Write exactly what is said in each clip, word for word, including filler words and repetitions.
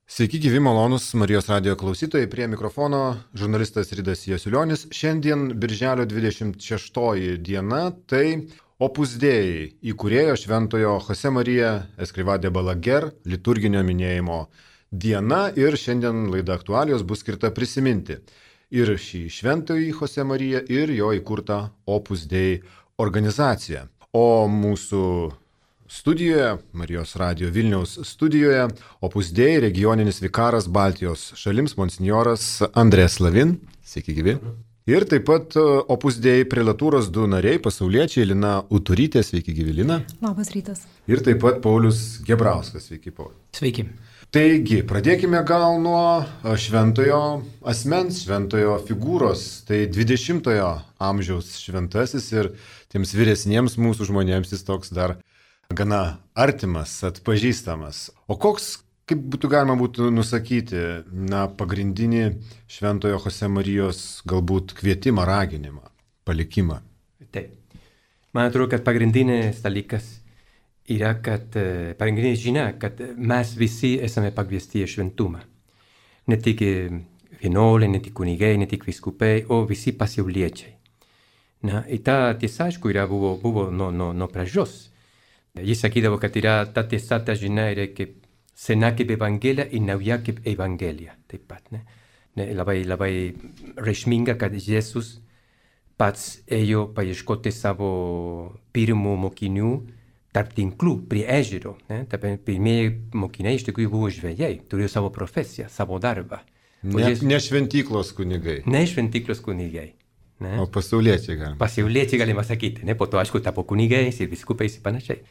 Sveiki, gyvi malonus Marijos radijo klausytojai, prie mikrofono žurnalistas Ridas Jasiulionis. Šiandien birželio dvidešimt šeštoji diena, tai Opus Dei įkūrėjo šventojo Jose Marija Escrivá de Balaguer liturginio minėjimo diena ir šiandien laida aktualijos bus skirta prisiminti ir šį šventąjį Jose Mariją ir jo įkurtą Opus Dei organizaciją. O mūsų studijoje, Marijos radijo Vilniaus studijoje, Opus Dei regioninis vikaras Baltijos šalims, monsinjoras Andrės Slavin. Sveiki, gyvi. Ir taip pat Opus Dei prelatūros du nariai, pasauliečiai, Lina Uturytė. Sveiki, gyvi, Lina. Labas rytas. Ir taip pat Paulius Gebrauskas. Sveiki, Paulius. Sveiki. Taigi, pradėkime gal nuo šventojo asmens, šventojo figūros. Tai dvidešimtojo amžiaus šventasis ir tiems vyresniems mūsų žmonėms jis toks dar gana artimas, atpažįstamas. O koks, kaip būtų galima būtų nusakyti, na, pagrindinį šventojo Jose Marijos galbūt kvietimą, raginimą, palikimą? Taip. Man atrodo, kad pagrindinis dalykas yra, kad pagrindinė žinia, kad mes visi esame pakviesti į šventumą. Ne tik vienuoliai, ne tik kunigai, ne tik vyskupai, o visi pasauliečiai. Na, ir ta tiesa, aišku, yra buvo, buvo nuo no, no pradžios. Jis sakydavo, kad yra ta tiesa, ta žinia yra kaip sena kaip evangelija ir nauja kaip evangelija. Taip pat, ne? Ne, labai, labai reikšminga, kad Jėzus pats ėjo paieškoti savo pirmų mokinių tarp tinklų prie ežero. Ne? Pirmieji mokiniai iš tikrųjų buvo žvejai, turėjo savo profesiją, savo darbą. Ne, Jėzus... ne šventyklos kunigai. Ne šventyklos kunigai. Ne? O pasauliečiai galima. Pasauliečiai galima sakyti, ne? Po to aišku tapo kunigais ir viskupais ir panašiai.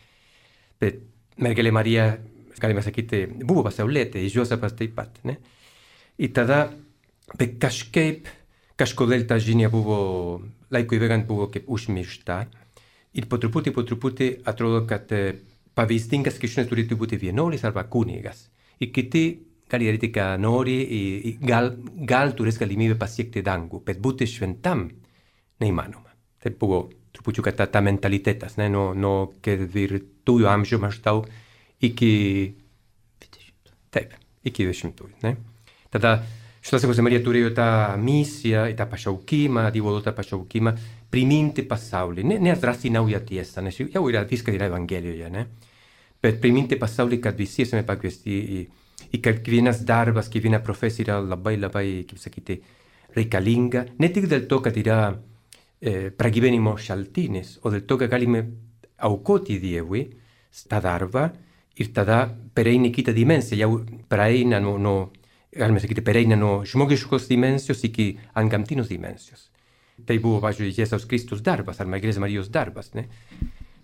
Bet mergelė Marija, galima sakyti, buvo pasaulietė, ir Juozapas taip pat, ne? Ir tada, bet kažkaip, kažkodėl ta žinia buvo, laikui bėgant buvo kaip užmiršta. Ir po truputį, po truputį atrodo, kad pavyzdingas krikščionis turėtų būti vienuolis arba kunigas. Ir kiti gali daryti, ką nori, ir gal, gal turės galimybę pasiekti dangų, bet būti šventam neįmanoma. Tai buvo trupučiuką ta, ta mentalitetas, ne? Nuo, nuo ketvirtųjų amžių maždaug iki... Taip, iki dvidešimtųjų, ne? Tada šventasis Jose Marija turėjo tą misiją, tą pašaukimą, Dievo duotą pašaukimą, priminti pasaulį, ne, neatrasti naują tiesą, nes jau yra viskas yra Evangelijoje, ne? Bet priminti pasaulį, kad visi esame pakviesti į, į kiekvienas darbas, kiekviena profesija yra labai, labai, kaip sakyti, reikalinga, ne tik dėl to, kad yra eh, pragyvenimo šaltinis, o dėl to, kad galime aukoti Dievui tą darbą ir tada pereina į kitą dimensiją, jau pereina nuo, nuo, galime sakyti, pereina nuo žmogiškos dimensijos iki antgamtinos dimensijos. Tai buvo, pavyzdžiui, Jėzaus Kristus darbas, ar Mergelės Marijos darbas, ne?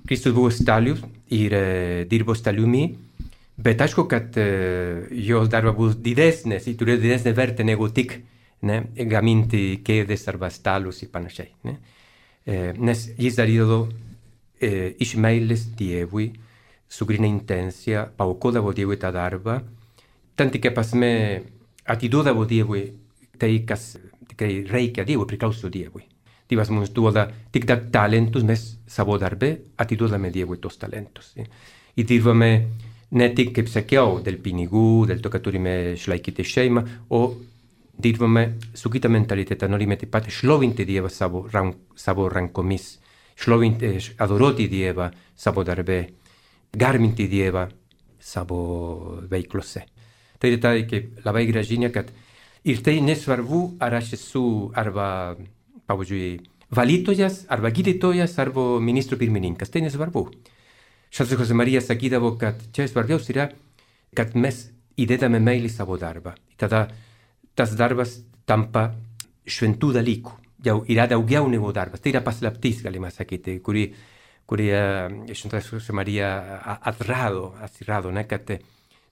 Kristus buvo stalius ir e, dirbo staliumi, bet aišku, kad e, jos darbas buvo didesnis ir turėjo didesnį vertę negu tik ne, gaminti kėdės arba stalus ir panašiai. Ne? E, nes jis darydavo e, iš meilės Dievui, su grina intencija, paukodavo Dievui tą darbą, tant tikrai prasme atiduodavo Dievui tai, kas tikrai reikia Dievui, priklauso Dievui. Dievas mums duoda tik dar talentus, mes savo darbę atiduodame Dievui tos talentus. Eh? Ir dirbame ne tik, kaip sakiau, dėl pinigų, dėl to, kad turime išlaikyti šeimą, o dirbame su kita mentalitetą, norime taip pat šlovinti Dievą savo, rank, savo rankomis, šlovinti, adoroti Dievą savo darbę, garbinti Dievą savo veiklose. Tai yra kaip labai gera žinia, kad ir tai nesvarbu, ar aš esu arba, pavyzdžiui, valytojas, arba gydytojas, arba ministro pirmininkas. Tai nesvarbu. Šventasis Jose Marija sakydavo, kad čia svarbiausia yra, kad mes įdedame meilį savo darbą. Tada tas darbas tampa šventų dalykų. Jau yra daugiau negu darbas. Tai yra paslaptis, galima sakyti, kuri, kuri Šventasis Jose Marija atrado, atrado, ne, kad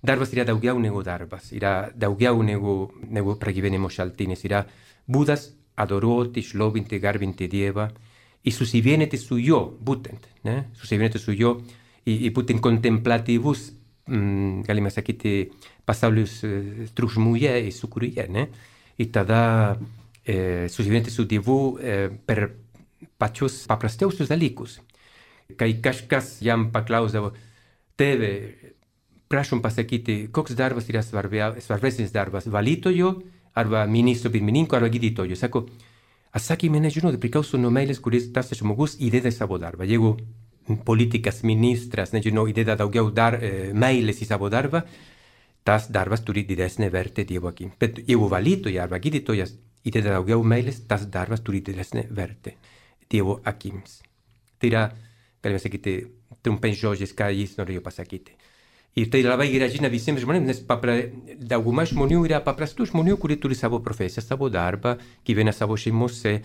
darbas yra daugiau negu darbas, yra daugiau negu, negu pragyvenimo šaltinis, yra būdas adoroti, šlovinti, garbinti Dievą ir susivienyti su jo, būtent, ne? Susivienyti su jo ir, ir būtent kontemplatyvus, mm, galime sakyti, pasaulius triukšmuje ir sūkuryje, ne? Ir tada e, susivienyti su Dievu e, per pačius paprasčiausius dalykus. Kai kažkas jam paklausdavo, tėve, prašom pasakyti, koks darbas yra svarbia, svarbesnis darbas - valytojo, arba ministro pirmininko, arba gydytojo. Sako, atsakymai nežinau, tai priklauso nuo meilės, kuris tas žmogus įdeda į savo darbą. Jeigu politikas, ministras, nežinau, įdeda daugiau dar, e, meilės į savo darbą, tas darbas turi didesnę vertę Dievo akim. Bet jeigu valytoja arba gydytojas įdeda daugiau meilės, tas darbas turi didesnę vertę Dievo akims. Tai yra, galime sakyti, trumpais žodžiais, ką jis norėjo pasakyti. Ir tai labai gerai žinia visiems žmonėms, nes papra, dauguma žmonių yra paprastų žmonių, kurie turi savo profesiją, savo darbą, gyvena savo šeimose.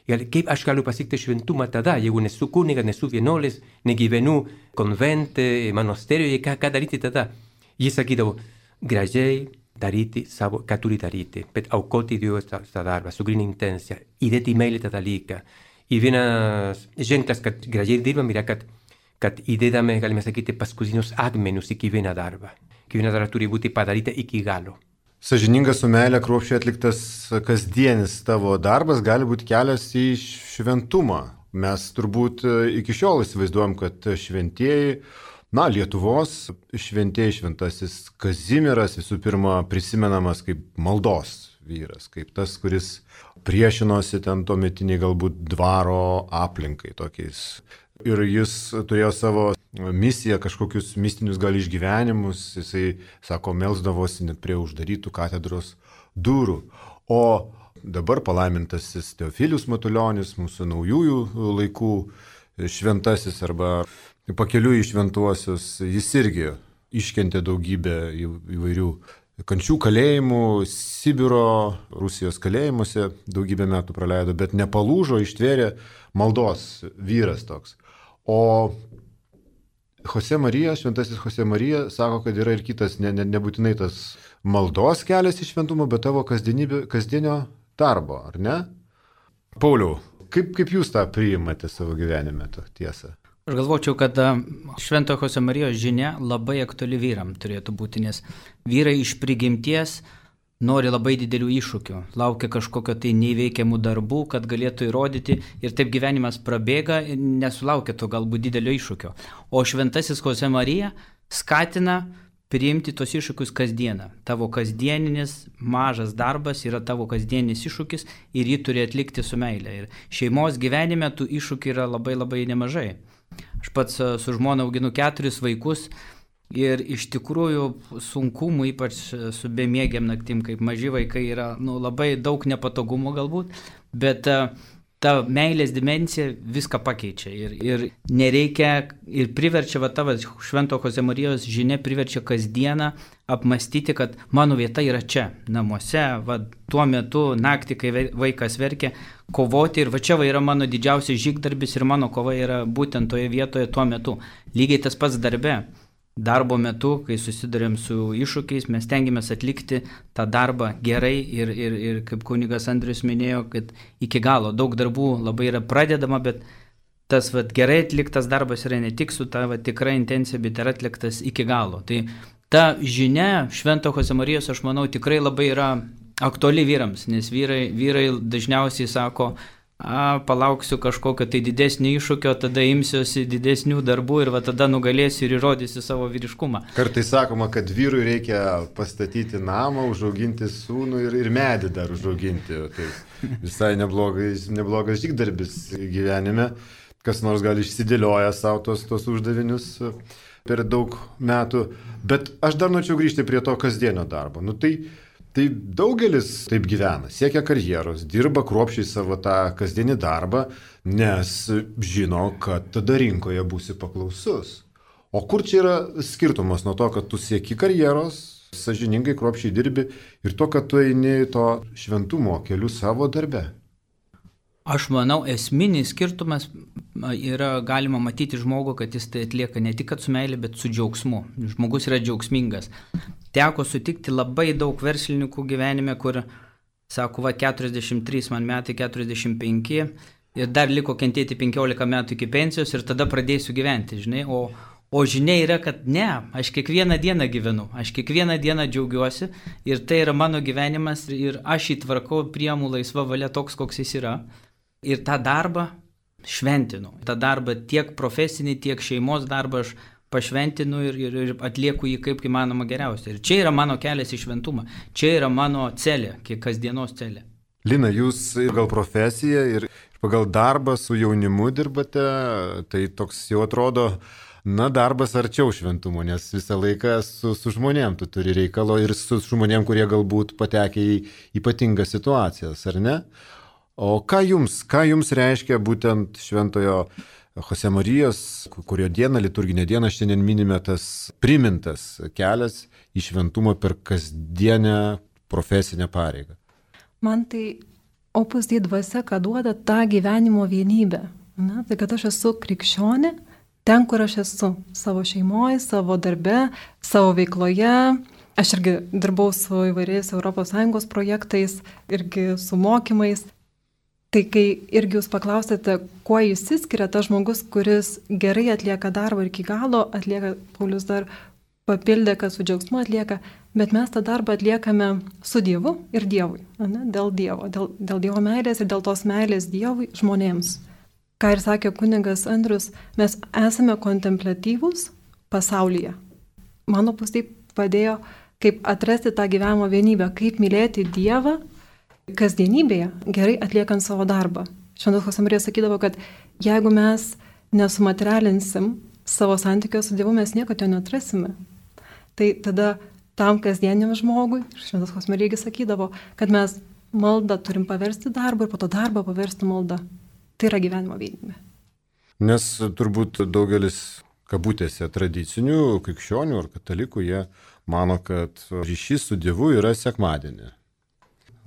Ir kaip aš galiu pasiekti šventumą tada, jeigu nesu kunigas, nesu vienuolis, negyvenu konvente, monasterijoje, ką, ką daryti tada? Jis sakydavo, gražiai daryti savo, ką turi daryti, bet aukoti Dievui tą, tą darbą, su gryna intencija, įdėti į meilę tą dalyką. Ir vienas ženklas, kad gražiai dirbam, yra, kad kad įdedame, galime sakyti, paskutinius akmenius į kiekvieną darbą. Kiekviena darba turi būti padaryta iki galo. Sąžiningas su meilė kruopščiai atliktas kasdienis tavo darbas gali būti kelias į šventumą. Mes turbūt iki šiol įsivaizduojam, kad šventieji, na, Lietuvos šventieji, šventasis Kazimieras visų pirma prisimenamas kaip maldos vyras, kaip tas, kuris priešinosi ten tuometiniai galbūt dvaro aplinkai tokiais. Ir jis turėjo savo misiją, kažkokius mistinius gal išgyvenimus, jisai, sako, melsdavosi net prie uždarytų katedros durų. O dabar palaimintasis Teofilius Matulionis, mūsų naujųjų laikų šventasis arba pakeliui į šventuosius, jis irgi iškentė daugybę įvairių kančių kalėjimų, Sibiro, Rusijos kalėjimuose daugybę metų praleido, bet nepalūžo, ištvėrė maldos vyras toks. O Jose Marija, šventasis Jose Marija, sako, kad yra ir kitas, ne, ne, nebūtinai tas maldos kelias į šventumą, bet tavo kasdienio darbo, ar ne? Pauliau, kaip, kaip jūs tą priimate savo gyvenime, tą tiesą? Aš galvočiau, kad švento Jose Marijos žinia labai aktuali vyram turėtų būti, nes vyrai iš prigimties nori labai didelių iššūkių, laukia kažkokio tai neįveikiamų darbų, kad galėtų įrodyti ir taip gyvenimas prabėga, nesulaukia to galbūt didelio iššūkio. O šventasis Jose Marija skatina priimti tos iššūkius kasdieną. Tavo kasdieninis mažas darbas yra tavo kasdieninis iššūkis ir jį turi atlikti su meile. Ir šeimos gyvenime tų iššūkių yra labai labai nemažai. Aš pats su žmona auginu keturis vaikus. Ir iš tikrųjų sunkumų, ypač su bemiegiam naktim, kaip maži vaikai, yra nu, labai daug nepatogumų galbūt, bet uh, ta meilės dimensija viską pakeičia ir, ir nereikia, ir priverčia, va tavo švento Jose Marijos žinia priverčia kasdieną apmastyti, kad mano vieta yra čia, namuose, va tuo metu naktį, kai vaikas verkia, kovoti ir va čia va yra mano didžiausias žygdarbis ir mano kova yra būtent toje vietoje tuo metu. Lygiai tas pats darbe. Darbo metu, kai susidurėm su iššūkiais, mes tengiamės atlikti tą darbą gerai ir, ir, ir kaip kunigas Andrius minėjo, kad iki galo daug darbų labai yra pradedama, bet tas vat, gerai atliktas darbas yra ne tik su ta vat, tikra intencija, bet yra atliktas iki galo. Tai ta žinia švento Jose Marijos, aš manau, tikrai labai yra aktuali vyrams, nes vyrai, vyrai dažniausiai sako, a, palauksiu kažkokio tai didesnio iššūkio, tada imsiuosi didesnių darbų ir va tada nugalėsiu ir įrodysiu savo vyriškumą. Kartais sakoma, kad vyrui reikia pastatyti namą, užauginti sūnų ir, ir medį dar užauginti. Tai visai neblogas, neblogas žygdarbis gyvenime. Kas nors gali išsidėlioja savo tos, tos uždavinius per daug metų. Bet aš dar norėčiau grįžti prie to kasdienio darbo. Nu, tai Tai daugelis taip gyvena, siekia karjeros, dirba kruopščiai savo tą kasdienį darbą, nes žino, kad tada rinkoje būsi paklausus. O kur čia yra skirtumas nuo to, kad tu sieki karjeros, sąžiningai kruopščiai dirbi ir to, kad tu eini to šventumo keliu savo darbe? Aš manau, esminis skirtumas yra galima matyti žmogų, kad jis tai atlieka ne tik su meilė, bet su džiaugsmu. Žmogus yra džiaugsmingas. Teko sutikti labai daug verslininkų gyvenime, kur, sako, va, keturiasdešimt trys man metai, keturiasdešimt penki ir dar liko kentėti penkiolika metų iki pensijos ir tada pradėsiu gyventi, žinai. O, o žinia yra, kad ne, aš kiekvieną dieną gyvenu, aš kiekvieną dieną džiaugiuosi ir tai yra mano gyvenimas ir aš įtvarkau, priimu laisvą valią toks, koks jis yra. Ir tą darbą šventinu. Ta darbą tiek profesinį, tiek šeimos darbą aš pašventinu ir, ir, ir atlieku jį kaip įmanoma geriausiai. Ir čia yra mano kelias į šventumą. Čia yra mano celė, kiek kasdienos celė. Lina, jūs gal profesiją ir pagal darbą su jaunimu dirbate, tai toks jau atrodo, na, darbas arčiau šventumo, nes visą laiką su, su žmonėm tu turi reikalo ir su žmonėm, kurie galbūt patekia į ypatingas situacijas, ar ne? O ką jums, ką jums reiškia būtent šventojo Jose Marijos, kurio dieną, liturginė diena, šiandien minime tas primintas kelias į šventumą per kasdienę profesinę pareigą? Man tai Opus Dei dvasia, ką duoda tą gyvenimo vienybę. Na, tai kad aš esu krikščionė, ten, kur aš esu, savo šeimoje, savo darbe, savo veikloje. Aš irgi dirbau su įvairiais Europos Sąjungos projektais, irgi su mokymais. Tai kai irgi jūs paklausėte, kuo jis įskiria tas žmogus, kuris gerai atlieka darbą ir iki galo atlieka, Paulius dar papildė, kad su džiaugsmu atlieka, bet mes tą darbą atliekame su Dievu ir Dievui, ne? Dėl Dievo, dėl, dėl Dievo meilės ir dėl tos meilės Dievui žmonėms. Ką ir sakė kunigas Andrius, mes esame kontempliatyvūs pasaulyje. Mano Opus Dei padėjo kaip atrasti tą gyvenimo vienybę, kaip mylėti Dievą kasdienybėje, gerai atliekant savo darbą. Šventas Jose Marija sakydavo, kad jeigu mes nesumaterialinsim savo santykio su Dievu, mes niekada jo neatrasime. Tai tada tam kasdieniam žmogui, Šventas Jose Marija sakydavo, kad mes maldą turim paversti darbą ir po to darbą paversti maldą. Tai yra gyvenimo vienybė. Nes turbūt daugelis kabutėse tradicinių krikščionių ar katalikų, jie mano, kad ryšys su Dievu yra sekmadienį.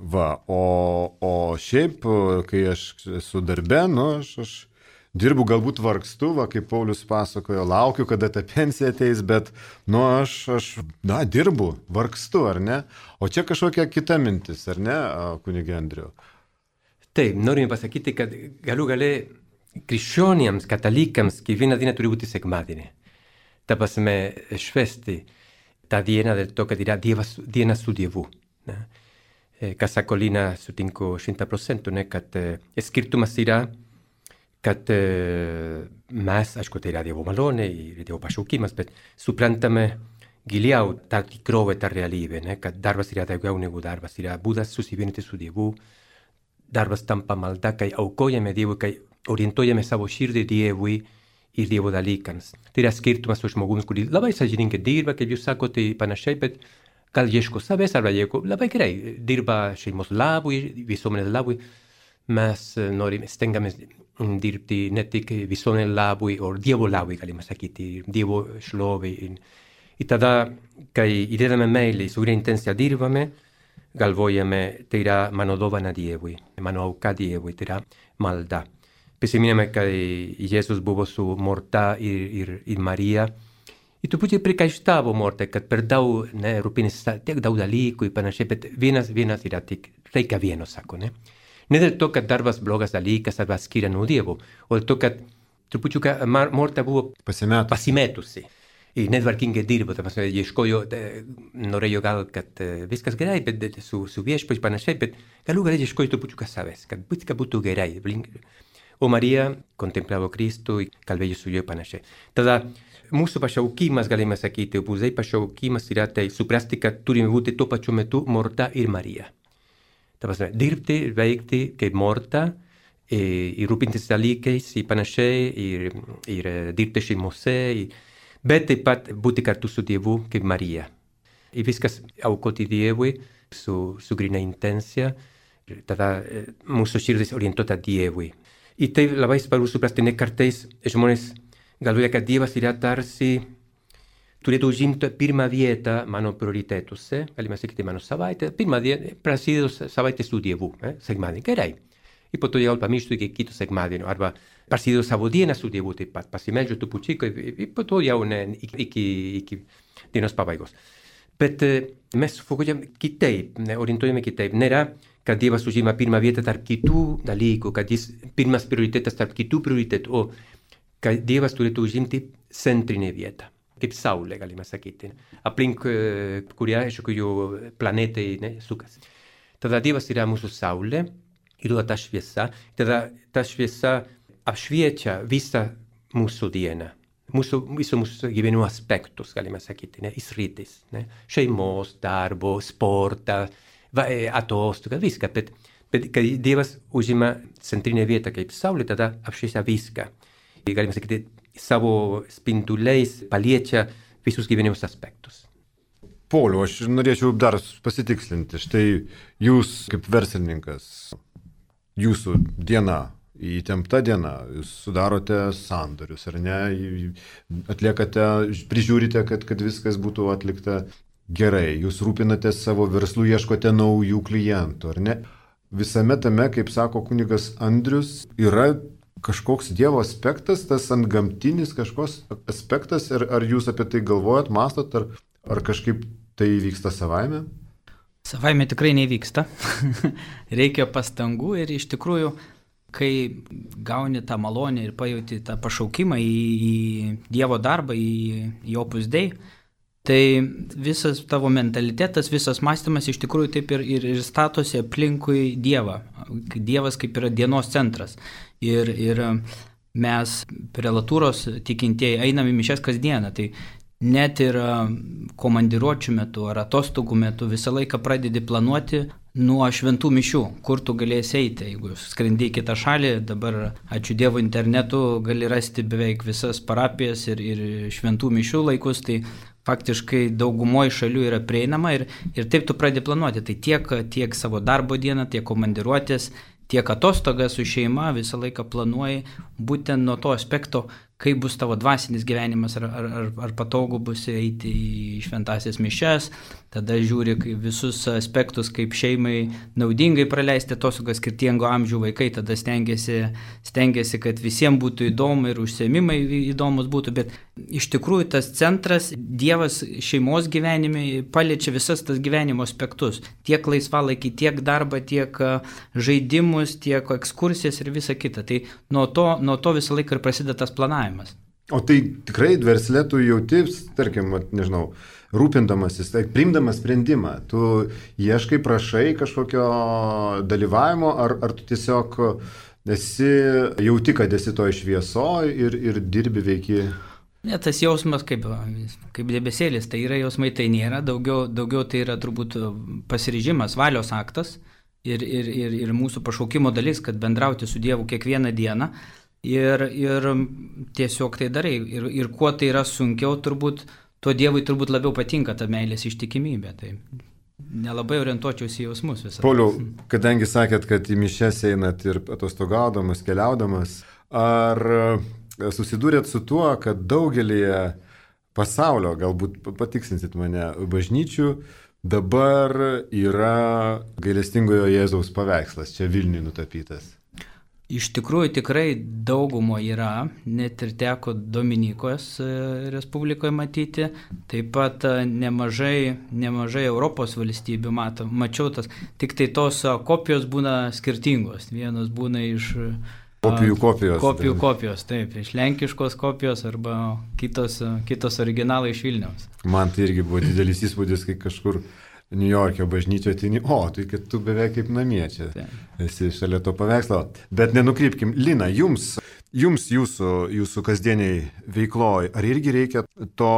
Va, o, o šiaip, kai aš esu darbe, nu, aš, aš dirbu, galbūt vargstu, va, kaip Paulius pasakojo, laukiu, kada ta pensija ateis, bet, nu, aš, aš, na, dirbu, vargstu, ar ne? O čia kažkokia kita mintis, ar ne, kunige Andriau? Taip, norime pasakyti, kad galų gale krikščioniams, katalikams, kiekvieną dieną turi būti sekmadienį. Ta prasme, švęsti tą dieną dėl to, kad yra dievas, diena su Dievu. Ne? Kas sako Lina, sutinku šimtą procentų, ne, kad e, skirtumas yra, kad e, mes, aišku, tai yra Dievo malonė ir Dievo pašaukimas, bet suprantame giliau tą tikrovę, tą realybę, ne, kad darbas yra daugiau negu darbas, yra būdas susivienyti su Dievu, darbas tampa malda, kai aukojame Dievui, kai orientuojame savo širdį Dievui ir Dievo dalykams. Tai yra skirtumas su žmogumi, kurį labai sąžiningai dirba, kaip jūs sakote, panašiai, bet gal ieško savęs arba ieško labai gerai, dirba šeimos labui, visuomenės labui. Mes norime, stengiamės dirbti ne tik visuomenės labui, o Dievo labui, galime sakyti, Dievo šlovei. Ir tada, kai įdedame meilę, su gera intencija dirbame, galvojame, tai yra mano dovana Dievui, mano auka Dievui, tai yra malda. Prisiminėme, kai Jėzus buvo su Morta ir, ir, ir Marija, I truputį prikaištavo Morta, kad per daug ne, rūpinasi tiek daug dalykų ir panašiai, bet vienas, vienas yra tik reikia vieno, sako, ne? Ne dėl to, kad darbas blogas dalykas arba skiria nuo Dievo, o dėl to, kad trupučiuką Morta buvo Pasimetus. pasimetusi. Ir netvarkingai dirbo, ta prasme, ieškojo, norėjo gal, kad viskas gerai, bet su, su viešpačiu panašiai, bet galų gale ieškojo trupučiuką savęs, kad viskas būtų gerai. O Marija kontemplavo Kristų, kalbėjo su juo panašiai. Tada mūsų pašaukimas, galime sakyti, Opus Dei pašaukimas yra tai suprasti, kad turime būti tuo pačiu metu Morta ir Marija. Ta prasme, dirbti ir veikti kaip Morta, ir rūpintis dalykais, ir panašiai, ir, ir dirbti šeimose, bet taip pat būti kartu su Dievu kaip Marija. Ir viskas aukoti Dievui su, su grina intencija, tada mūsų širdis orientuota Dievui. Ir tai labai svarbu suprasti, ne kartais žmonės galvoja, kad Dievas yra tarsi turėtų užimti pirmą vietą mano prioritetuose, galime sakyti mano savaitę, pirmą dieną, prasidėjo savaitę su Dievu, eh? sekmadienį, gerai. Ir po to jau pamirštu iki kito sekmadienio, arba prasidėjo savo dieną su Dievu taip pat, pasimeldžiu trupučiuką ir po to jau ne, iki, iki dienos pabaigos. Bet mes fokusuojame kitaip, orientuojame kitaip. Nėra, kad Dievas užima pirmą vietą tarp kitų dalykų, kad jis pirmas prioritetas tarp kitų prioritetų, o kad Dievas turėtų užimti centrinę vietą, kaip Saulė, galime sakyti, aplink kurią, aišku, planetai ne, sukasi. Tada Dievas yra mūsų Saulė ir duoda tą šviesą, tada ta šviesa apšviečia visą mūsų dieną. mūsų, visų mūsų gyvenimo aspektus, galime sakyti, ne, įsritis, ne, šeimos, darbo, sportą, va, atostogą, viską, bet, bet kai Dievas užima centrinę vietą kaip Saulė, tada apšviesa viską. Galime sakyti, savo spinduliais paliečia visus gyvenimos aspektus. Pauliau, aš norėčiau dar pasitikslinti. Štai jūs kaip verslininkas, jūsų diena, įtempta diena, jūs sudarote sandorius, ar ne, atliekate, prižiūrite, kad, kad viskas būtų atlikta gerai, jūs rūpinatės savo verslu, ieškote naujų klientų, ar ne? Visame tame, kaip sako kunigas Andrius, yra kažkoks Dievo aspektas, tas antgamtinis kažkoks aspektas, ar, ar jūs apie tai galvojat, mastot, ar, ar kažkaip tai vyksta savaime? Savaime tikrai nevyksta. Reikia pastangų ir iš tikrųjų, kai gauni tą malonę ir pajauti tą pašaukimą į, į Dievo darbą, į, į Opus Dei, tai visas tavo mentalitetas, visas mąstymas iš tikrųjų taip ir, ir, ir statosi aplinkui Dievą. Dievas kaip yra dienos centras. Ir, ir mes prelatūros tikintieji einame į mišias kasdieną, tai net ir komandiruočių metu ar atostogų metu visą laiką pradedi planuoti nuo šventų mišių, kur tu galėsi eiti. Jeigu skrendi į kitą šalį, dabar ačiū Dievo internetu gali rasti beveik visas parapijas ir, ir šventų mišių laikus, tai faktiškai daugumoje šalių yra prieinama ir, ir taip tu pradedi planuoti. Tai tiek, tiek savo darbo dieną, tiek komandiruotės, tiek atostogas su šeima visą laiką planuoji būtent nuo to aspekto, kaip bus tavo dvasinis gyvenimas, ar, ar, ar, ar patogu bus eiti į šventasias mišias, tada žiūri visus aspektus, kaip šeimai naudingai praleisti atostogas, skirtingo amžių vaikai, tada stengiasi, stengiasi, kad visiems būtų įdomu ir užsiėmimai įdomus būtų, bet iš tikrųjų tas centras, Dievas šeimos gyvenime paliečia visas tas gyvenimo aspektus, tiek laisvalaikį, tiek darbą, tiek žaidimus, tiek ekskursijas ir visa kita. Tai nuo to, nuo to visą laiką ir prasideda tas planavimas. O tai tikrai verslė tu jauti, tarkim, nežinau, rūpindamasis, tai priimdamas sprendimą, tu ieškai, prašai kažkokio dalyvavimo, ar, ar tu tiesiog esi, jauti, kad esi to šviesoje ir, ir dirbi veiki? Ne, tas jausmas kaip, kaip debesėlis, tai yra jausmai, tai nėra, daugiau, daugiau tai yra turbūt pasiryžimas, valios aktas ir, ir, ir, ir mūsų pašaukimo dalis, kad bendrauti su Dievu kiekvieną dieną. Ir, ir tiesiog tai darai. Ir, ir kuo tai yra sunkiau, turbūt, tuo Dievui turbūt labiau patinka ta meilės ištikimybė. Tai nelabai orientuočiausi į jausmus visą. Pauliau, kadangi sakėt, kad į mišias einat ir atostogaudamas, keliaudamas, ar susidūrėt su tuo, kad daugelį pasaulio, galbūt patiksinsit mane, bažnyčių, dabar yra gailestingojo Jėzaus paveikslas, čia Vilniuje nutapytas? Iš tikrųjų tikrai daugumo yra, net ir teko Dominikos Respublikoje matyti, taip pat nemažai, nemažai Europos valstybių mato, mačiau tas, tik tai tos kopijos būna skirtingos, vienos būna iš kopijų kopijos, kopijų kopijos, taip, iš lenkiškos kopijos arba kitos, kitos originalai iš Vilniaus. Man tai irgi buvo didelis įspūdis, kai kažkur New York'o bažnyčioje atini, o, tai kad tu beveik kaip namie čia esi šalia to paveikslo. Bet nenukrypkim, Lina, jums, jums jūsų, jūsų kasdieniai veikloj, ar irgi reikia to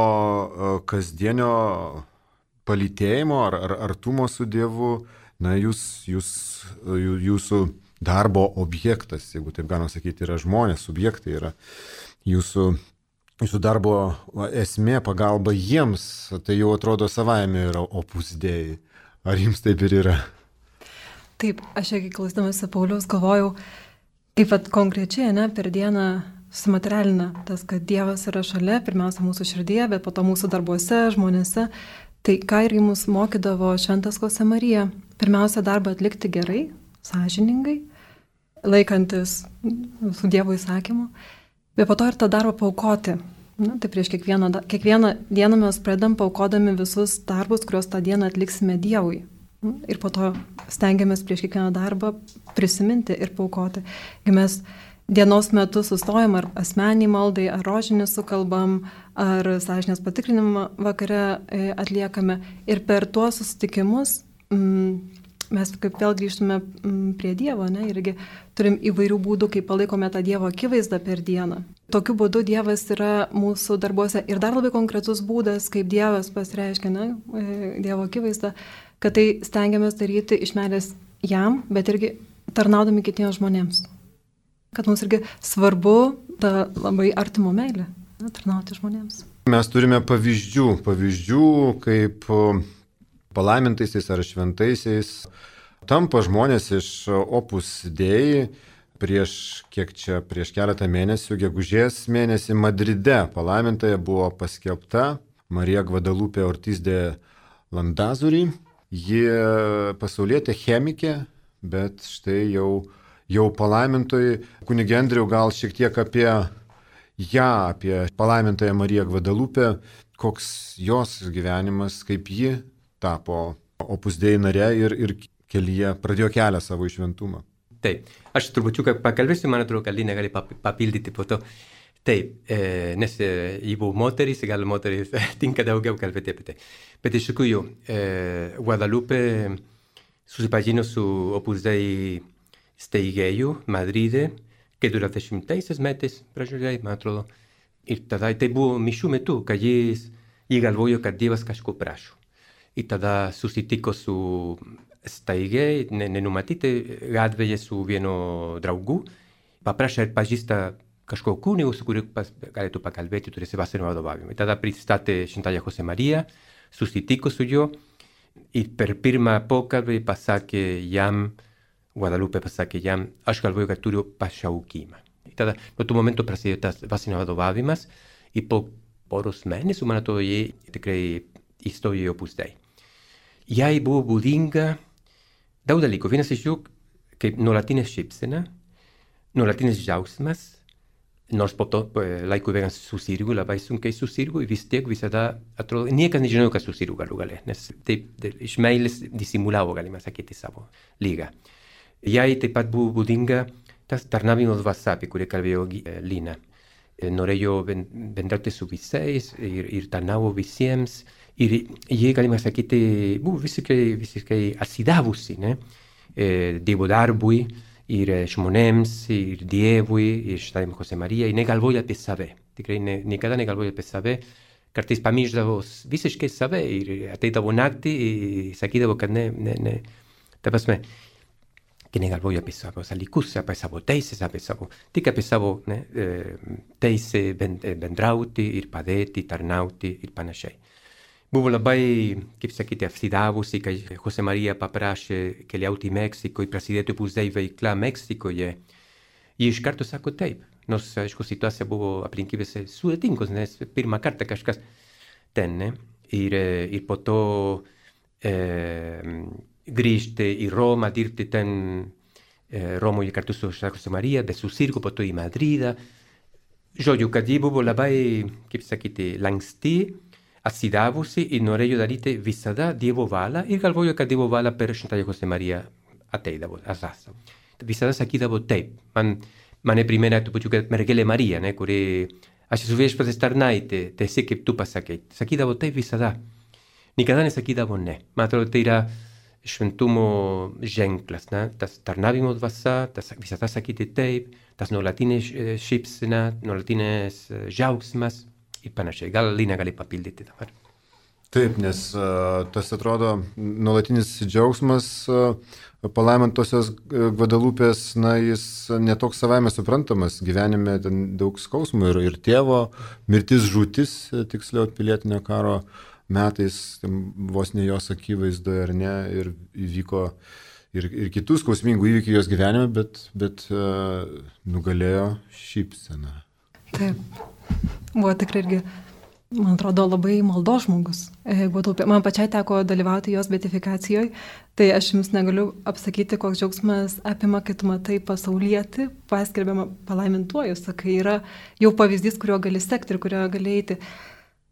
kasdienio palytėjimo ar, ar artumo su Dievu? Na, jūs, jūs, jūsų darbo objektas, jeigu taip galima sakyti, yra žmonės, subjektai yra jūsų Jūsų darbo esmė, pagalba jiems, tai jau atrodo savaime yra Opus Dei. Ar jums taip ir yra? Taip, aš irgi klausydamasi Pauliaus galvojau, kaip at konkrečiai, ne, per dieną sumaterialina tas, kad Dievas yra šalia, pirmiausia mūsų širdyje, bet po to mūsų darbuose, žmonėse. Tai ką irgi mus mokydavo Šventas Josemarija, pirmiausia darbą atlikti gerai, sąžiningai, laikantis su Dievo įsakymu. Bet po to ir tą darbą paaukoti. Na, tai prieš kiekvieną, kiekvieną dieną mes pradedam paaukodami visus darbus, kuriuos tą dieną atliksime Dievui. Ir po to stengiamės prieš kiekvieną darbą prisiminti ir paaukoti. Kai mes dienos metu sustojam ar asmeniai maldai, ar rožinį sukalbam, ar sąžinės patikrinimą vakare atliekame. Ir per tuos susitikimus mm, mes kaip vėl grįžtume prie Dievo, ne, irgi turim įvairių būdų, kaip palaikome tą Dievo akivaizdą per dieną. Tokiu būdu Dievas yra mūsų darbuose ir dar labai konkretus būdas, kaip Dievas pasireiškia, ne, Dievo akivaizdą, kad tai stengiamės daryti iš meilės jam, bet irgi tarnaudami kitiems žmonėms. Kad mums irgi svarbu ta labai artimo meilė, ne, tarnauti žmonėms. Mes turime pavyzdžių, pavyzdžių, kaip palaimintaisiais ar šventaisiais tampa žmonės iš Opus Dei. Prieš, kiek čia, prieš keletą mėnesių, gegužės mėnesį Madride palaimintoje buvo paskelbta Marija Gvadalupė Ortiz de Landazuri. Ji pasaulietė chemikė, bet štai jau, jau palaimintojai. Kunige Andriau, gal šiek tiek apie ją, apie palaimintąją Mariją Gvadalupę, koks jos gyvenimas, kaip ji tapo Opus Dei nare ir, ir kelyje pradėjo kelią savo į šventumą. Taip, aš trupučiuką pakalbėsiu, man atrodo, kad Lina gali papildyti po to. Taip, e, nes e, jį buvo moteris, gal moteris tinka daugiau kalbėti apie tai. Bet iš tikrųjų, e, Guadalupe susipažino su Opus Dei steigėju Madride, keturiasdešimtaisiais metais pradžioje, man atrodo. Ir tada tai buvo mišių metu, kad jis jį galvojo, kad Dievas kažko prašo. Ir tada susitiko su steigėjai, nenumatyti gatvėje su vienu draugu, paprašė pažįsta kažko kunigu, su kuriuo galėtų pakalbėti, turėsi dvasinio vadovavimo. Ir tada pristatė Šventąją José Mariją, susitiko su juo ir per pirmą pokalbį pasakė jam, Guadalupe pasakė jam, aš galvoju, kad turiu pašaukimą. Ir tada nuo tų momentų prasidėjo tas dvasinio vadovavimas ir po poros mėnesių, man atrodo, jie tikrai įstojo į Opus Dei. Jai buvo būdinga daug dalykų. Vienas iš jų, kaip nuolatinė šypsena, nuolatinis džiaugsmas, nors po to laiku bėgant susirgo, labai sunkiai susirgo ir vis tiek visada atrodo, niekas nežinojo, kad susirgo galų gale, nes taip iš meilės disimulavo, galima sakyti, savo lygą. Jai taip pat buvo būdinga tas tarnavimo dvasia, apie kurį kalbėjo Lina. Norėjo bendrauti su visais ir, ir tarnavo visiems. Ir jie, galima sakyti, buvo visiškai, visiškai atsidavusi, ne? E, Dievo darbui ir žmonėms, ir Dievui, ir Šventąją José Mariją, ir negalvoja apie save. Tikrai ne, niekada negalvoja apie save. Kartais pamiršdavo visiškai save ir ateidavo naktį ir sakydavo, kad ne, ne, ne. Ta prasme, que negalvoja apie savo dalykus, apie savo teisės, apie savo, tik apie savo ne, teisę bendrauti ir padėti, tarnauti ir panašiai. Buvo labai, kaip sakyti, apsidavusi, kai José María paprašė keliauti į Meksiko ir prasidėti Opus Dei veikla Meksikoje. Ir iš karto sako taip, nors, aišku, situacija buvo aplinkybės sudėtingos, nes pirmą kartą kažkas ten, ne? Ir, ir po to e, grįžti į Romą, dirbti ten e, Romoje kartu su José María, de susirgo, po to į Madridą. Žodžiu, kad ji buvo labai, kaip sakyti, lanksti, atsidavusi ir norėjo daryti visada Dievo valią ir galvojo, kad Dievo valią per Šventąją José Mariją ateidavo, asasa. Visada sakydavo taip. Man, mane primena trupučiuką mergelė Marija, ne, kuri aš esu viešpaties tarnaitė, tiesiog kaip tu pasakei. Sakydavo taip visada. Nikada nesakydavo ne. Man atrodo, tai yra šventumo ženklas, ne? Tas tarnavimo dvasia, tas visada sakyti taip, tas nuolatinė šypsena, nuolatinės džiaugsmas. Ir panašiai. Gal Lina gali papildyti dabar. Taip, nes uh, tas atrodo nuolatinis džiaugsmas uh, palaimintosios Gvadalupės, na, jis netoks savaime suprantamas. Gyvenime ten daug skausmų ir, ir tėvo mirtis, žūtis, tiksliau pilietinio karo metais, vos ne jos akivaizdoje ar ne, ir įvyko ir, ir kitų skausmingų įvykių jos gyvenime, bet, bet uh, nugalėjo šypsena. Taip. Buvo tikrai irgi, man atrodo, labai maldos žmogus. Man pačiai teko dalyvauti jos beatifikacijoje, tai aš jums negaliu apsakyti, koks džiaugsmas apima, kai tu matai pasaulietį, paskelbiamą palaimintuoju, sakai, yra jau pavyzdys, kurio gali sekti ir kurio gali eiti.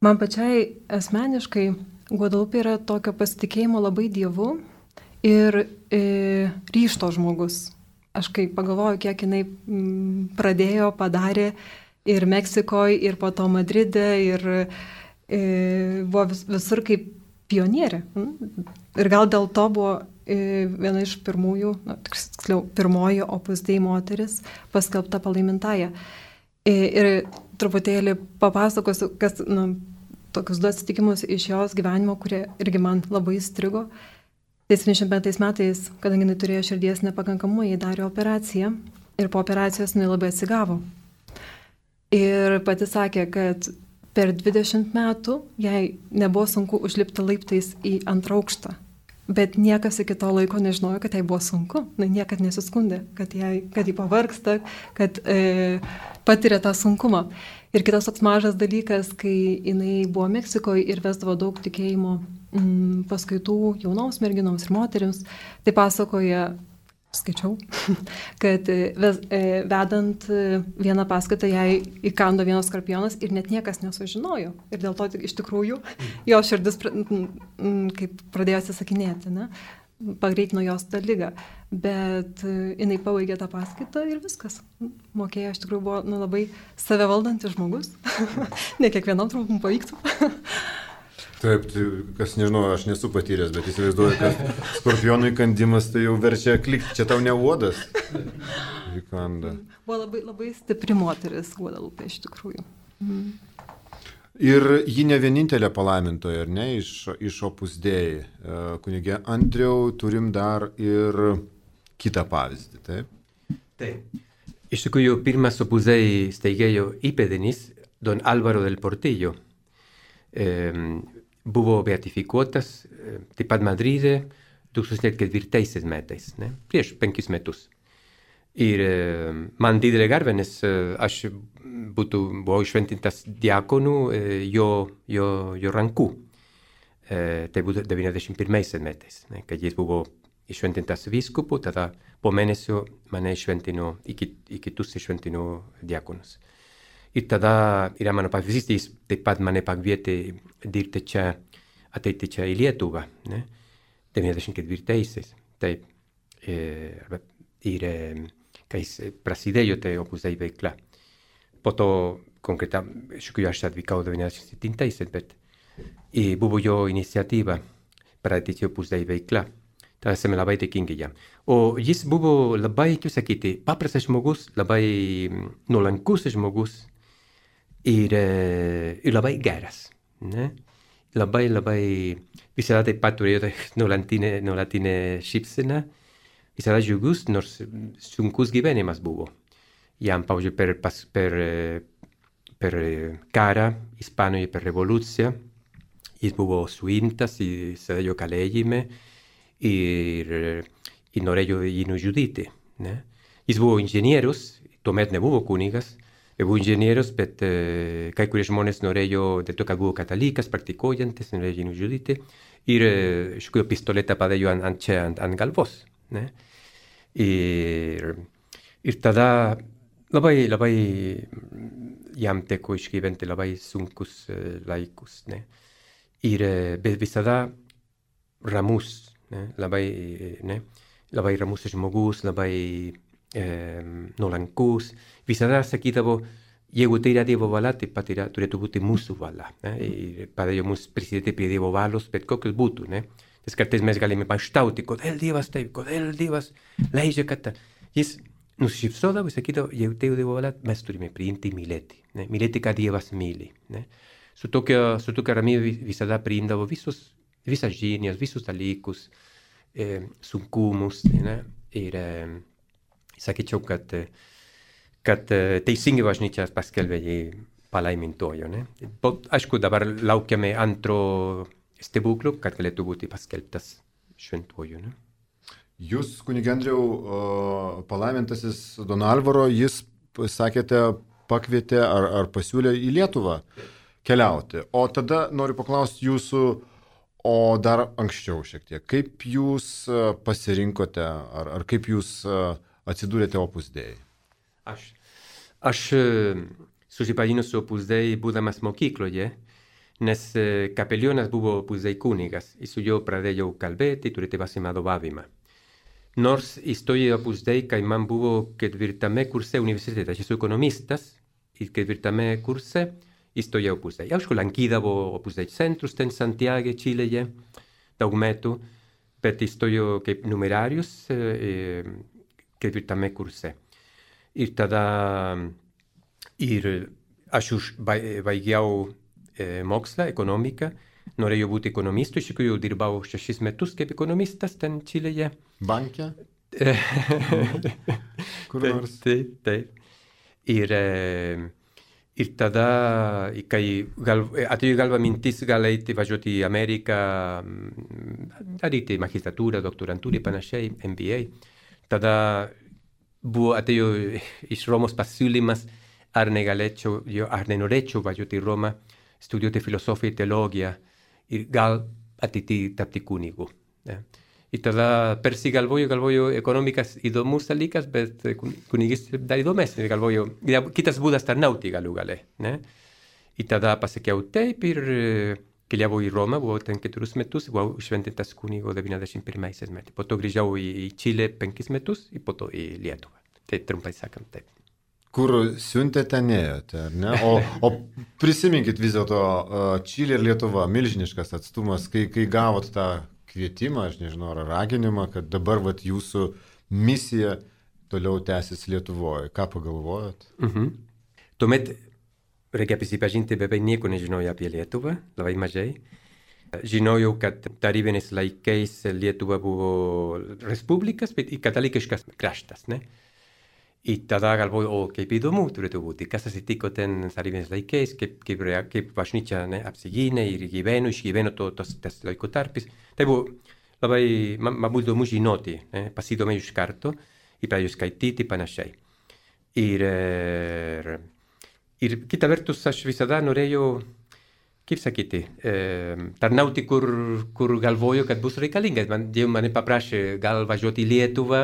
Man pačiai asmeniškai Guadalupe yra tokio pasitikėjimo labai Dievu ir e, ryžto žmogus. Aš kai pagalvoju, kiek jinai m, pradėjo, padarė, ir Meksikoje, ir po to Madride, ir e, buvo vis, visur kaip pionierė. Ir gal dėl to buvo viena iš pirmųjų, na, tiksliau, pirmoji Opus Dei moteris paskelbta palaimintaja. Ir truputėlį papasakosiu, kas, na, tokius du atsitikimus iš jos gyvenimo, kurie irgi man labai įstrigo. septyniasdešimt penktais metais, kadangi jinai turėjo širdies nepakankamumą, jai darė operaciją ir po operacijos jinai labai atsigavo. Ir pati sakė, kad per dvidešimt metų jai nebuvo sunku užlipti laiptais į antrą aukštą. Bet niekas iki to laiko nežinojo, kad jai buvo sunku. Na, niekad nesiskundė, kad jai, kad jai pavargsta, kad e, patiria tą sunkumą. Ir kitas toks mažas dalykas, kai jinai buvo Meksikoje ir vesdavo daug tikėjimo mm, paskaitų jaunoms merginoms ir moterims, tai pasakoja, skaičiau, kad ves, vedant vieną paskaitą jai įkando vienas skorpionas ir net niekas nesužinojo. Ir dėl to iš tikrųjų jo širdis kaip pradėjo atsisakinėti, ne? Pagreitino jos tą ligą. Bet jinai pabaigė tą paskaitą ir viskas. Mokėjo, iš tikrųjų buvo nu, labai savivaldantis žmogus. Ne kiekvienam trumpam pavyktų. Taip, tai, kas nežinau, aš nesu patyręs, bet įsivaizduoju, kad skorpionų įkandimas tai jau verčia klikti, čia tau ne uodas. Įkanda. Buvo labai, labai stipri moteris Guadalupe iš tikrųjų. Mm. Ir ji ne vienintelė palaimintoja, ar ne, iš, iš Opus Dei. Kunigė Andriau, turim dar ir kitą pavyzdį, taip? Taip. Iš tikrųjų, pirmas Opus Dei steigėjo įpėdinis, don Álvaro del Portillo. E, buvo beatifikuotas taip pat Madride du tūkstančiai ketvirtaisiais metais, ne? Prieš penkis metus. Ir man didelė garbė, nes aš būtų, buvau šventintas diakonų jo, jo, jo rankų. Tai būtų devyniasdešimt pirmais metais, ne? Kad jis buvo iššventintas vyskupu, tada po mėnesio mane iššventino, į kitus iššventino diakonus. Ir tada yra mano pavyzdys, taip pat mane pakvietė dirbti čia, ateiti čia į Lietuvą, ne? devyniasdešimt ketvirtaisiais. Taip. Ir kai prasidėjo tai Opus Dei veikla. Po to, konkretam, šiuo aš atvykau devyniasdešimt septintaisiais, bet buvo jo iniciatyva pradėti Opus Dei veikla. Tada esame labai dėkingi jam. O jis buvo labai, kaip sakyti, paprastas žmogus, labai nuolankus žmogus. Ir, ir labai geras, ne? Labai, labai, visada taip pat turėjo nuolatinę, nuolatinę šypseną, visada džiugus, nors sunkus gyvenimas buvo. Jam, pavyzdžiui, per, per, per karą Ispanijoje, per revoliuciją, jis buvo suimtas, jis sėdėjo kalėjime ir, ir norėjo jį nužudyti, ne? Jis buvo inžinierius, tuomet nebuvo kunigas, buvo inžinierius, bet uh, kai kurie žmonės norėjo, dėl to, kad buvo katalikas, praktikuojantis, norėjo jį nužudyti. Ir uh, iš kurio pistoletą padėjo ant, ant čia, ant, ant galvos. Ne? Ir, ir tada labai, labai jam teko išgyventi labai sunkus uh, laikus. Ne? Ir uh, bet visada ramus, ne? Labai, ne? Labai ramus žmogus, labai Eh, nuolankus, visada sakydavo, jeigu tai yra Dievo valia, taip pat yra, turėtų būti mūsų valia. Ne? Padėjo mums prisidėti prie Dievo valios, bet kokios būtų. Ne? Nes kartais mes galime mąstauti, kodėl Dievas taip, kodėl Dievas leidžia, kad jis nusišypsodavo ir sakydavo, jeigu tai Dievo valia, mes turime priimti ir mylėti. Ne? Mylėti, kad Dievas myli. Ne? Su tokia, su tokia ramybė visada priimdavo visus, visas žinias, visus dalykus, eh, sunkumus. Ne? Ir eh, sakyčiau, kad, kad teisingai bažnyčia paskelbė jį palaimintojo. Ne? Aišku, dabar laukiame antro stebuklo, kad galėtų būti paskelbtas šventuoju. Ne? Jūs, kunige Andriau, palaimintasis Don Alvaro, jis, sakėte, pakvietė ar, ar pasiūlė į Lietuvą keliauti. O tada noriu paklausti jūsų, o dar anksčiau šiek tiek, kaip jūs pasirinkote ar, ar kaip jūs atsidūrėte Opus Dei? Aš, aš susipažinau su Opus Dei būdamas mokykloje, nes kapelionas buvo Opus Dei kunigas ir su juo pradėjau kalbėti, turėti vadovavimą. Nors įstojau Opus Dei, kai man buvo ketvirtame kurse universitete, aš esu ekonomistas ir ketvirtame kurse įstojau Opus Dei. Aišku, lankydavo Opus Dei centrus ten Santiago, Čilėje, daug metų, bet įstojau kaip numerarius e, ketvirtame kurse. Ir tada ir aš už baigiau e, mokslą, ekonomiką, norėjau būti ekonomistu, iš tikrųjų dirbau šešis metus kaip ekonomistas ten Čilėje. Banke? Kur nors? Taip, taip. Ir, ir tada, kai gal, atėjo galva mintis gal eiti važiuoti į Ameriką, daryti magistratūrą, doktorantūrą ir panašiai, M B A. Tada buvo atėjo iš Romos pasiūlymas, ar negalėčiau, ar nenorėčiau važiuoti į Romą, studijuoti filosofiją ir teologiją ir gal ateityje tapti kunigu. Ne? Ir tada persigalvoju, galvoju, ekonomikas įdomus dalykas, bet kunigystė dar įdomesnė, galvoju, kitas būdas tarnauti galų gale. Ne? Ir tada pasakiau taip ir keliavau į Romą, buvau ten keturis metus, buvau šventintas kunigo devyniasdešimt pirmais metais. Po to grįžau į Čilę penkis metus ir po to į Lietuvą. Tai trumpai sakant taip. Kur siuntėte, neėjote, ar ne? O, o prisiminkit vis dėlto Čilė ir Lietuva, milžiniškas atstumas, kai, kai gavot tą kvietimą, aš nežinau, ar raginimą, kad dabar vat, jūsų misija toliau tęsis Lietuvoje. Ką pagalvojot? Mhm. Tuomet reikia prisipažinti, beveik nieko nežinojau apie Lietuvą, labai mažai. Žinojau, kad tarybiniais laikais Lietuva buvo respublikas, bet ir katalikiškas kraštas, ne? Ir tada galvoju, o kaip įdomu turėtų būti, kas atsitiko ten tarybiniais laikais, kaip, kaip, kaip bažnyčia ne, apsigynė ir gyveno, išgyveno to, tos, tas laiko tarpis. Tai buvo labai, man, man buvo įdomu žinoti, ne, pasidomėjau iš karto ir pradėjau skaityti panašiai. Ir, ir kita vertus aš visada norėjau, kaip sakyti, eh, tarnauti, kur, kur galvoju, kad bus reikalinga. Man, Dievas mane paprašė gal važiuoti į Lietuvą,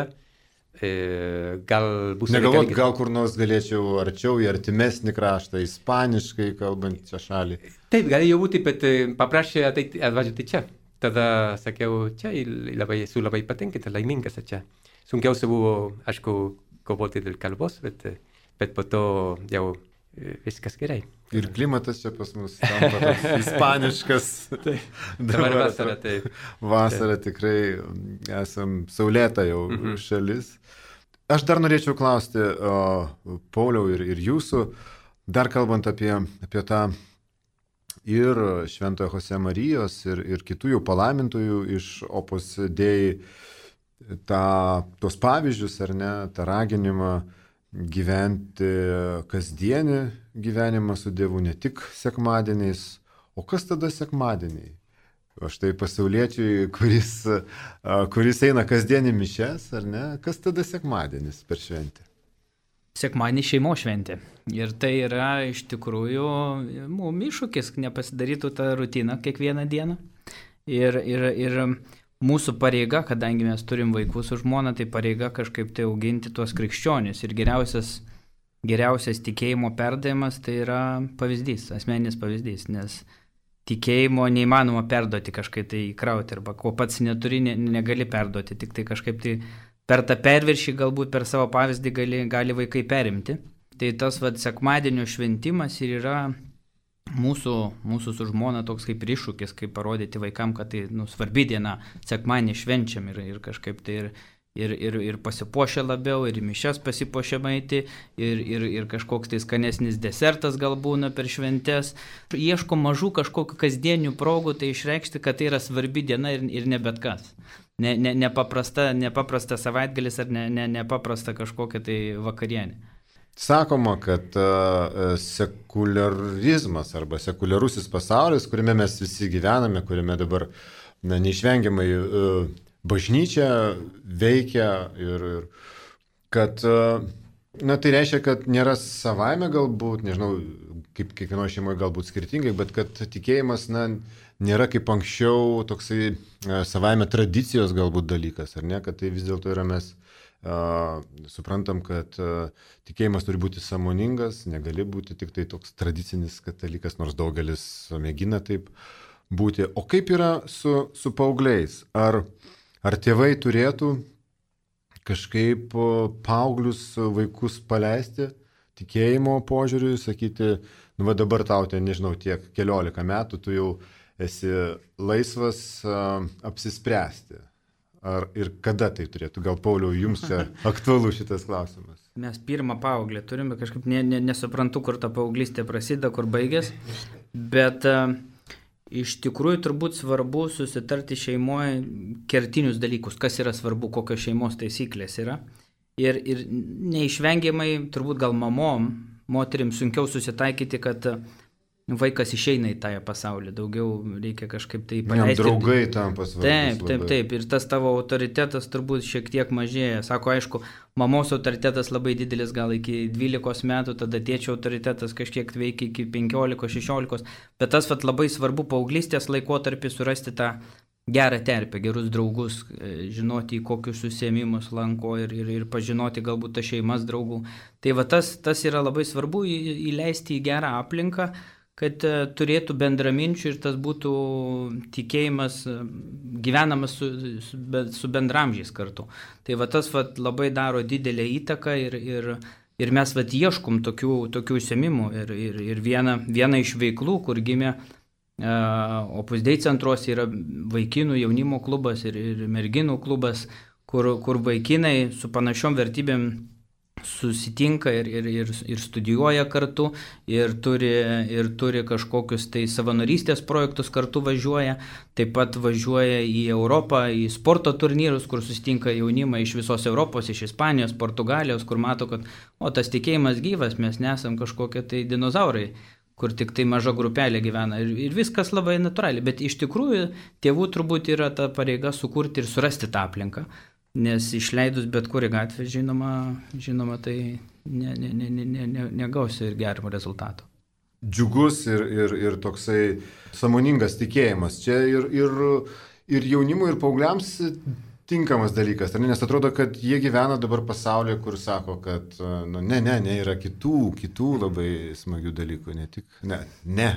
gal bus negalvot, gal kur nors galėčiau arčiau į artimesnį kraštą, ispaniškai kalbančią šalį. Taip, galėjo būti, bet paprašė atvažiuoti čia. Tada sakiau, čia labai, esu labai patenkintas, laimingas čia. Sunkiausia buvo, aišku, kovoti dėl kalbos, bet, bet po to jau viskas gerai. Ir klimatas čia pas mus tampa toks ispaniškas. Dabar vasara, taip. Vasara tikrai esam saulėta jau mm-hmm. šalis. Aš dar norėčiau klausti, o, Pauliau, ir, ir jūsų, dar kalbant apie, apie tą ir Šventojo Jose Marijos, ir, ir kitų jau palaimintojų iš Opus Dei, tą, tos pavyzdžius, ar ne, tą raginimą gyventi kasdienį gyvenimą su Dievu, ne tik sekmadieniais. O kas tada sekmadieniai? O štai pasauliečiui, kuris, kuris eina kasdienį mišes, ar ne? Kas tada sekmadienis per šventę? Sekmadienį šeimos šventė. Ir tai yra iš tikrųjų mums iššūkis, nepasidarytų tą rutiną kiekvieną dieną. Ir, ir, ir mūsų pareiga, kadangi mes turim vaikus su žmona, tai pareiga kažkaip tai auginti tuos krikščionius. Ir geriausias, geriausias tikėjimo perdavimas tai yra pavyzdys, asmeninis pavyzdys, nes tikėjimo neįmanoma perduoti kažkaip tai įkrauti, arba ko pats neturi, ne, negali perduoti, tik tai kažkaip tai per tą perviršį galbūt per savo pavyzdį gali, gali vaikai perimti. Tai tas vat, sekmadienio šventimas ir yra mūsų, mūsų su žmona toks kaip iššūkis, kaip parodyti vaikam, kad tai nu, svarbi diena, sekmadienį švenčiam ir, ir kažkaip tai ir, ir, ir, ir pasipuošia labiau, ir mišias pasipuošia maiti, ir, ir, ir kažkoks tai skanesnis desertas gal būna per šventes. Ieško mažų kažkokių kasdienių progų tai išreikšti, kad tai yra svarbi diena ir, ir ne bet kas. Ne, ne, nepaprasta, nepaprasta savaitgalis ar ne, ne, nepaprasta kažkokia tai vakarienė. Sakoma, kad uh, sekularizmas arba sekuliarusis pasaulis, kuriame mes visi gyvename, kuriame dabar na, neišvengiamai uh, bažnyčia veikia ir, ir kad uh, na, tai reiškia, kad nėra savaime galbūt, nežinau, kaip kiekvienoje šeimoje galbūt skirtingai, bet kad tikėjimas na, nėra kaip anksčiau toksai uh, savaime tradicijos galbūt dalykas, ar ne, kad tai vis dėlto yra mes Uh, suprantam, kad uh, tikėjimas turi būti sąmoningas, negali būti tik tai toks tradicinis katalikas, nors daugelis mėgina taip būti. O kaip yra su, su paaugliais? Ar, ar tėvai turėtų kažkaip paauglius vaikus paleisti tikėjimo požiūriui, sakyti, nu va dabar tau ten, nežinau, tiek keliolika metų, tu jau esi laisvas uh, apsispręsti. Ar ir kada tai turėtų? Gal, Pauliau, jums čia aktualu šitas klausimas? Mes pirmą paauglį turime, kažkaip ne, ne, nesuprantu, kur ta paauglystė prasideda, kur baigės, bet uh, iš tikrųjų turbūt svarbu susitarti šeimoje kertinius dalykus, kas yra svarbu, kokios šeimos taisyklės yra. Ir, ir neišvengiamai turbūt gal mamom, moterim sunkiau susitaikyti, kad vaikas išeina į tą pasaulį, daugiau reikia kažkaip tai paleisti. Jam draugai tampa svarbus. Taip, taip, taip. Ir tas tavo autoritetas turbūt šiek tiek mažėja. Sako, aišku, mamos autoritetas labai didelis, gal iki dvylikos metų, tada tėčio autoritetas kažkiek veikia iki penkiolikos, šešiolikos. Bet tas vat, labai svarbu paauglystės laikotarpį surasti tą gerą terpę, gerus draugus, žinoti, į kokius užsiėmimus lanko ir, ir, ir pažinoti galbūt tas šeimas draugų. Tai va tas, tas yra labai svarbu įleisti į gerą aplinką, kad turėtų bendraminčių ir tas būtų tikėjimas gyvenamas su, su, su bendramžiais kartu. Tai va tas va, labai daro didelę įtaką ir, ir, ir mes va, ieškom tokių, tokių užsiėmimų. Ir, ir, ir viena, viena iš veiklų, kur gimė uh, Opus Dei centruose, yra vaikinų jaunimo klubas ir, ir merginų klubas, kur, kur vaikinai su panašiom vertybėm susitinka ir, ir, ir, ir studijuoja kartu ir turi, ir turi kažkokius tai savanorystės projektus kartu važiuoja, taip pat važiuoja į Europą, į sporto turnyrus, kur susitinka jaunimą iš visos Europos, iš Ispanijos, Portugalijos, kur mato, kad o tas tikėjimas gyvas, mes nesam kažkokie tai dinozaurai, kur tik tai maža grupelė gyvena ir, ir viskas labai natūraliai, bet iš tikrųjų tėvų turbūt yra ta pareiga sukurti ir surasti tą aplinką. Nes išleidus bet kurį gatvę, žinoma, žinoma tai ne, ne, ne, ne, ne, negausi ir gerimo rezultato. Džiugus ir, ir, ir toksai sąmoningas tikėjimas. Čia ir, ir, ir jaunimui, ir paaugliams tinkamas dalykas. Nes atrodo, kad jie gyvena dabar pasaulyje, kur sako, kad nu, ne, ne, ne, yra kitų, kitų labai smagių dalykų. Ne, tik, ne, ne,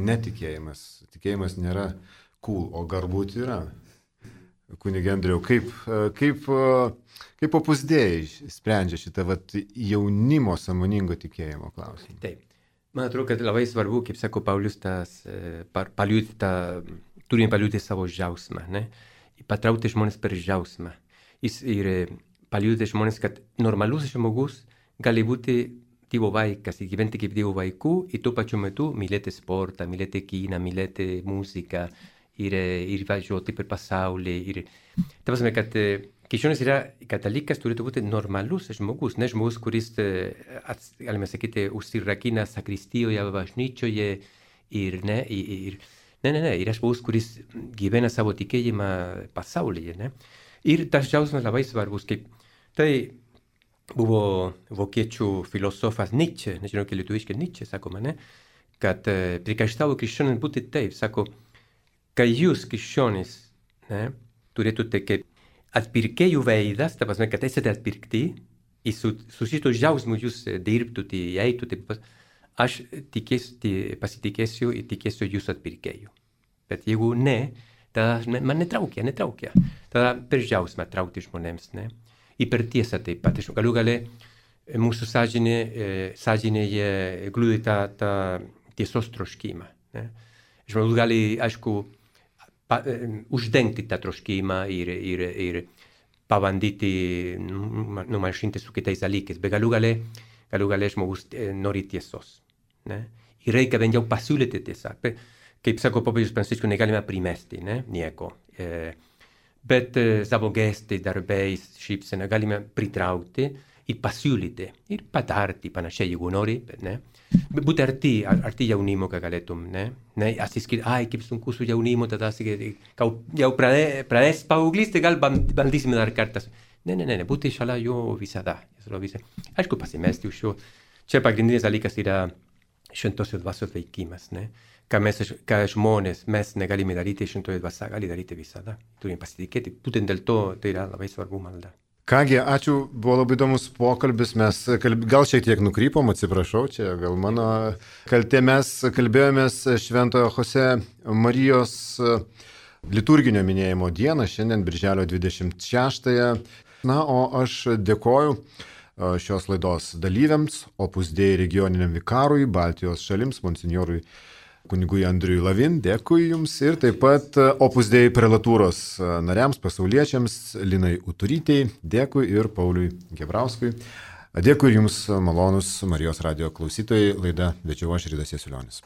netikėjimas. Tikėjimas nėra cool, o galbūt yra. Kunige Andriau, kaip, kaip, kaip Opus Dei sprendžia šitą vat, jaunimo sąmoningo tikėjimo klausimą? Taip. Man atrodo, kad labai svarbu, kaip sako Paulius, tas, paliūti tą, turime paliūti savo džiaugsmą, ne? Patraukti žmonės per džiaugsmą. Ir paliūti žmonės, kad normalus žmogus gali būti Dievo vaikas, gyventi kaip Dievo vaikų ir tuo pačiu metu mylėti sportą, mylėti kiną, mylėti muziką. Ir, ir važiuoti per pasaulį. Ir... Ta prasme, kad krikščionis yra katalikas, turėtų būti normalus žmogus, ne žmogus, kuris, ats, galime sakyti, užsirakina sakristijoje, bažnyčioje ir ne, ir, ne, ne, ne, yra žmogus, kuris gyvena savo tikėjimą pasaulyje. Ne? Ir tas džiaugsmas labai svarbus, kaip tai buvo vokiečių filosofas Nietzsche, nežinau, kaip lietuviškai Nietzsche, sakoma, ne? Kad prikaištavo krikščionis būti taip, sako, kad jūs krikščionys ne, turėtumėte kaip atpirkėjų veidas, ta prasme, kad esate atpirkti ir su, su šito džiaugsmu jūs dirbtumėte, eitumėte, aš tikėsiu, pasitikėsiu ir tikėsiu jūsų atpirkėjų. Bet jeigu ne, tada man netraukia, netraukia. Tada per džiaugsmą traukti žmonėms. Ne? Ir per tiesą taip pat. Galiu galę mūsų sąžinė, sąžinėje glūdi tą, tą tiesos troškimą. Ne? Žmogus gali, aišku, pa, uždengti tą troškimą ir, ir, ir pabandyti numalšinti su kitais dalykais, bet galų gale, galų gale žmogus nori tiesos. Ne? Ir reikia bent jau pasiūlyti tiesą. Kaip sako popiežius Pranciškus, negalime primesti ne? Nieko. E, bet savo gestais, darbais, šypsena galime pritraukti ir pasiūlyti ir patarti panašiai, jeigu nori. Ne? Būti arti, arti jaunimo, kad galėtum, ne? Ne? Atsiskirti, ai, kaip sunku su jaunimo, tada jau pradės paauglystė, gal bandysime dar kartas. Ne, ne, ne, būti šalia jo visada. Aišku, pasimesti už jo. Čia pagrindinis dalykas yra šventosios dvasios veikimas, ne? Ką mes, ką žmonės, mes negalime daryti, šventoji dvasia gali daryti visada. Turime pasitikėti. Būtent dėl to tai yra labai svarbu malda. Kągi, ačiū, buvo labai įdomus pokalbis, mes kalb... gal šiek tiek nukrypom, atsiprašau, čia gal mano kaltė, mes kalbėjomės Šventojo Jose Marijos liturginio minėjimo dieną, šiandien birželio dvidešimt šeštąją. Na, o aš dėkoju šios laidos dalyviams, Opus Dei regioniniam vikarui, Baltijos šalims, monsinjorui kunigui Andriui Lavin, dėkui Jums ir taip pat Opus Dei prelatūros nariams, pasauliečiams, Linai Uturytei, dėkui ir Pauliui Gebrauskui. Dėkui ir Jums, malonus Marijos radijo klausytojai, laidą vedžiau aš Ridas Jasiulionis.